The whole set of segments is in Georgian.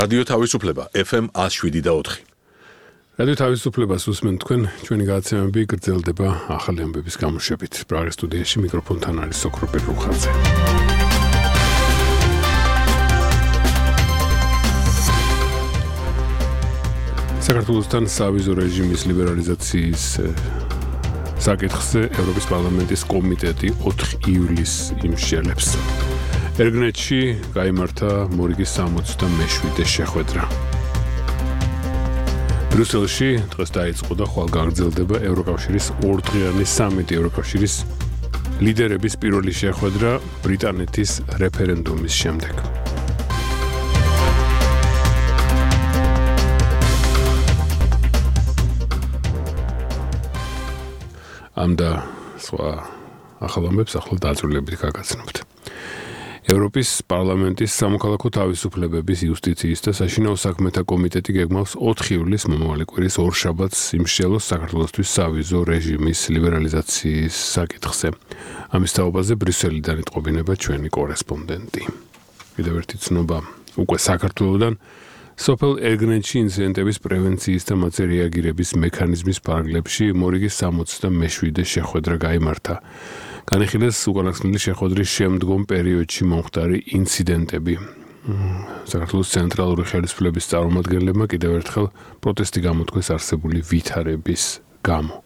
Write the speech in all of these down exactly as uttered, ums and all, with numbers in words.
რადიო თავისუფლება ეფ ემ one oh seven და four. რადიო თავისუფლებას უსმენთ თქვენ, ჩვენი გადაცემები გრძელდება ახალი ამბების გამოშვებით. პრაღის სტუდიაში მიკროფონთან არის სოქრო პეტრუხაძე. საქართველოსთან სავიზო რეჟიმის ლიბერალიზაციის საკითხზე ევროპის პარლამენტის კომიტეტი ოთხ ივლისს იმსჯელებს. ერგნეთში გაიმართა მორიგის სამოცდამეშვიდე შეხვედრა. ბრიუსელში დღეს დაიწყო და ხვალ გაგრძელდება ევროკავშირის ორდღიანი სამიტი. ევროკავშირის ლიდერების პირველი შეხვედრა ბრიტანეთის რეფერენდუმის შემდეგ. ამ და სხვა ახალ ამბებს ახლა დაწვრილებით გაგაცნობთ. ევროპის პარლამენტის სამოქალაქო თავისუფლებების, იუსტიციის და საშინაო საქმეთა კომიტეტი გეგმავს ოთხ ივლისს მომავალი კვირის ორშაბათს იმსჯელოს საქართველოსთვის სავიზო რეჟიმის ლიბერალიზაციის საკითხზე. ამის თაობაზე ბრიუსელიდან იტყობინება ჩვენი კორესპონდენტი. კიდევ ერთი ცნობა უკვე საქართველოდან. სოფელ ერგნეთში ინციდენტების პრევენციის და მათზე რეაგირების მექანიზმის ფარგლებში მორიგის სამოცდამეშვიდე შეხვედრა გაიმართა. განიხილეს უკანასკნელი შეხვედრის შემდგომ პერიოდში მომხდარი ინციდენტები. საქართველოს ცენტრალური ხელისუფლების წარმომადგენლებმა კიდევ ერთხელ პროტესტი გამოთქვეს არსებული ვითარების გამო.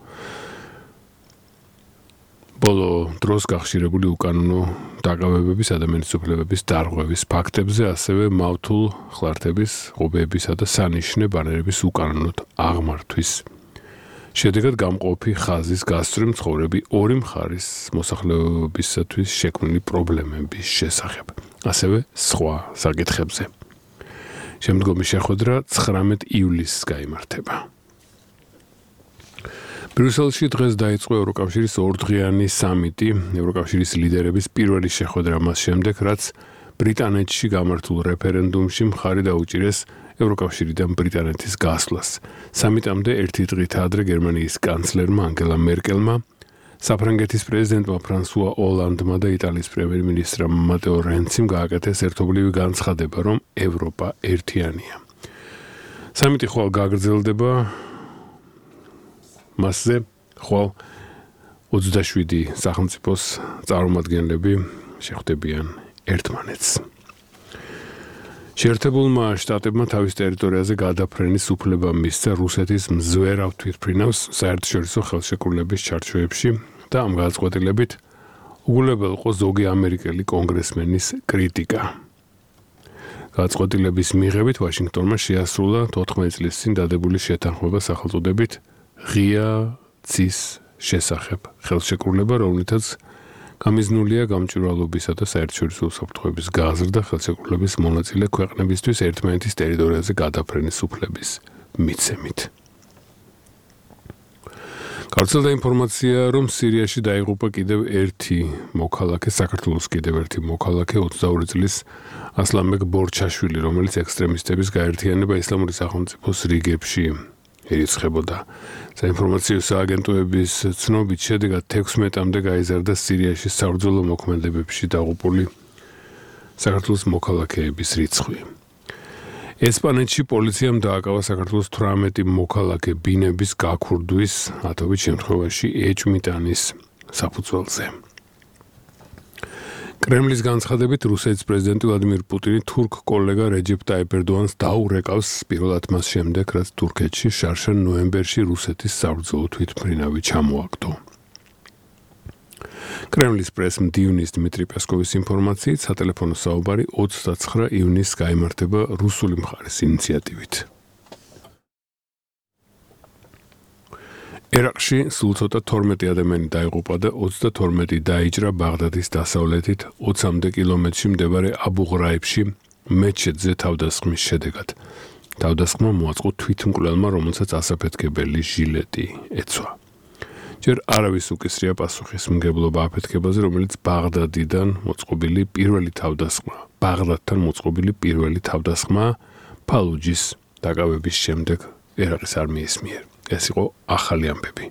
ბოლო დროს გახშირებული უკანონო დაკავებების, ადამიანის უფლებების დარღვევის ფაქტებზე, ასევე მავთულ ხლართების, ღობეებისა და სანიშნე ბანერების უკანონოდ აღმართვის შედეგად გამყოფი ხაზის გასწვრივ მცხოვრები ორი მხარის მოსახლეობისათვის შექმნილი პრობლემების შესახებ, ასევე სხვა საკითხებზე. შემდგომი შეხვედრა ცხრამეტ ივლისს გაიმართება. ბრიუსელში დღეს დაიწყო ევროკავშირის ორდღიანი სამიტი, ევროკავშირის ლიდერების პირველი შეხვედრა მას შემდეგ, რაც ბრიტანეთში გამართულ რეფერენდუმში მხარი დაუჭირეს ევროკავშირიდან ბრიტანეთის გასვლას. სამიტამდე ერთი დღით ადრე გერმანიის კანცლერმა ანგელა მერკელმა, საფრანგეთის პრეზიდენტმა ფრანსუა ოლანდმა და იტალიის პრემიერ-მინისტრმა მატეო რენციმ გააკეთეს ერთობლივი განცხადება, რომ ევროპა ერთიანია. სამიტი ხვალ გაგრძელდება. მასზე ხვალ ოცდაშვიდი სახელმწიფოს წარმომადგენლები შეხვდებიან ერთმანეთს. შეერთებულმა შტატებმა თავის ტერიტორიაზე გადაფრენის უფლება მისცა რუსეთის მზვერავ თვითმფრინავს საერთაშორისო ხელშეკრულების ჩარჩოებში და ამ გადაწყვეტილებით უგულებელყო ზოგი ამერიკელი კონგრესმენის კრიტიკა. გადაწყვეტილების მიღებით ვაშინგტონმა შეასრულა თოთხმეტი წლის წინ დადებული შეთანხმება სახელწოდებით ღია ცის შესახებ ხელშეკრულება, რომლითაც გამიზნულია გამჭვირვალობისა და საერთაშორისო უსაფრთხოების გაზრდა ხელშეკრულების მონაწილე ქვეყნებისთვის ერთმანეთის ტერიტორიაზე გადაფრენის უფლების მიცემით. გავრცელდა ინფორმაცია, რომ სირიაში დაიღუპა კიდევ ერთი მოქალაქე, საქართველოს კიდევ ერთი მოქალაქე, ოცდაორი წლის ასლამბეკ ბორჩაშვილი, რომელიც ექსტრემისტების გაერთიანება ისლამური სახელმწიფოს რიგებში ერიცხებოდა. საინფორმაციო სააგენტოების ცნობით შედეგად თექვსმეტამდე გაიზარდა სირიაში საბრძოლო მოქმედებებში დაღუპული საქართველოს მოქალაქეების რიცხვი. ესპანეთში პოლიციამ დააკავა საქართველოს თვრამეტი მოქალაქე ბინების გაქურდვის, ათობით შემთხვევაში ეჭვმიტანის საფუძველზე. კრემლის განცხადებით, რუსეთის პრეზიდენტი ვლადიმირ პუტინი თურქ კოლეგა რეჯეფ ტაიპ ერდოანს დაურეკავს პირველად მას შემდეგ, რაც თურქეთში შარშან ნოემბერში რუსეთის საბრძოლო თვითმფრინავი ჩამოაგდო. კრემლის პრეს-მდივნის დიმიტრი პესკოვის ინფორმაციით, სატელეფონო საუბარი ოცდაცხრა ივნისს გაიმართება რუსული მხარის ინიციატივით. ერაყში სულ ცოტა თორმეტი ადამიანი დაიღუპა და ოცდათორმეტი დაიჭრა ბაღდადის დასავლეთით ოცამდე კილომეტრში მდებარე აბუ-ღრაიბში მეჩეთზე თავდასხმის შედეგად. თავდასხმა მოაწყო თვითმკვლელმა, რომელსაც ასაფეთქებელი ჟილეტი ეცვა. ჯერ არავის უკისრია პასუხისმგებლობა აფეთქებაზე, რომელიც ბაღდადიდან მოწყობილი პირველი თავდასხმა, ბაღდადთან მოწყობილი პირველი თავდასხმა ფალუჯის დაკავების შემდეგ ერაყის არმიის მიერ. ეს იყო ახალი ამბები.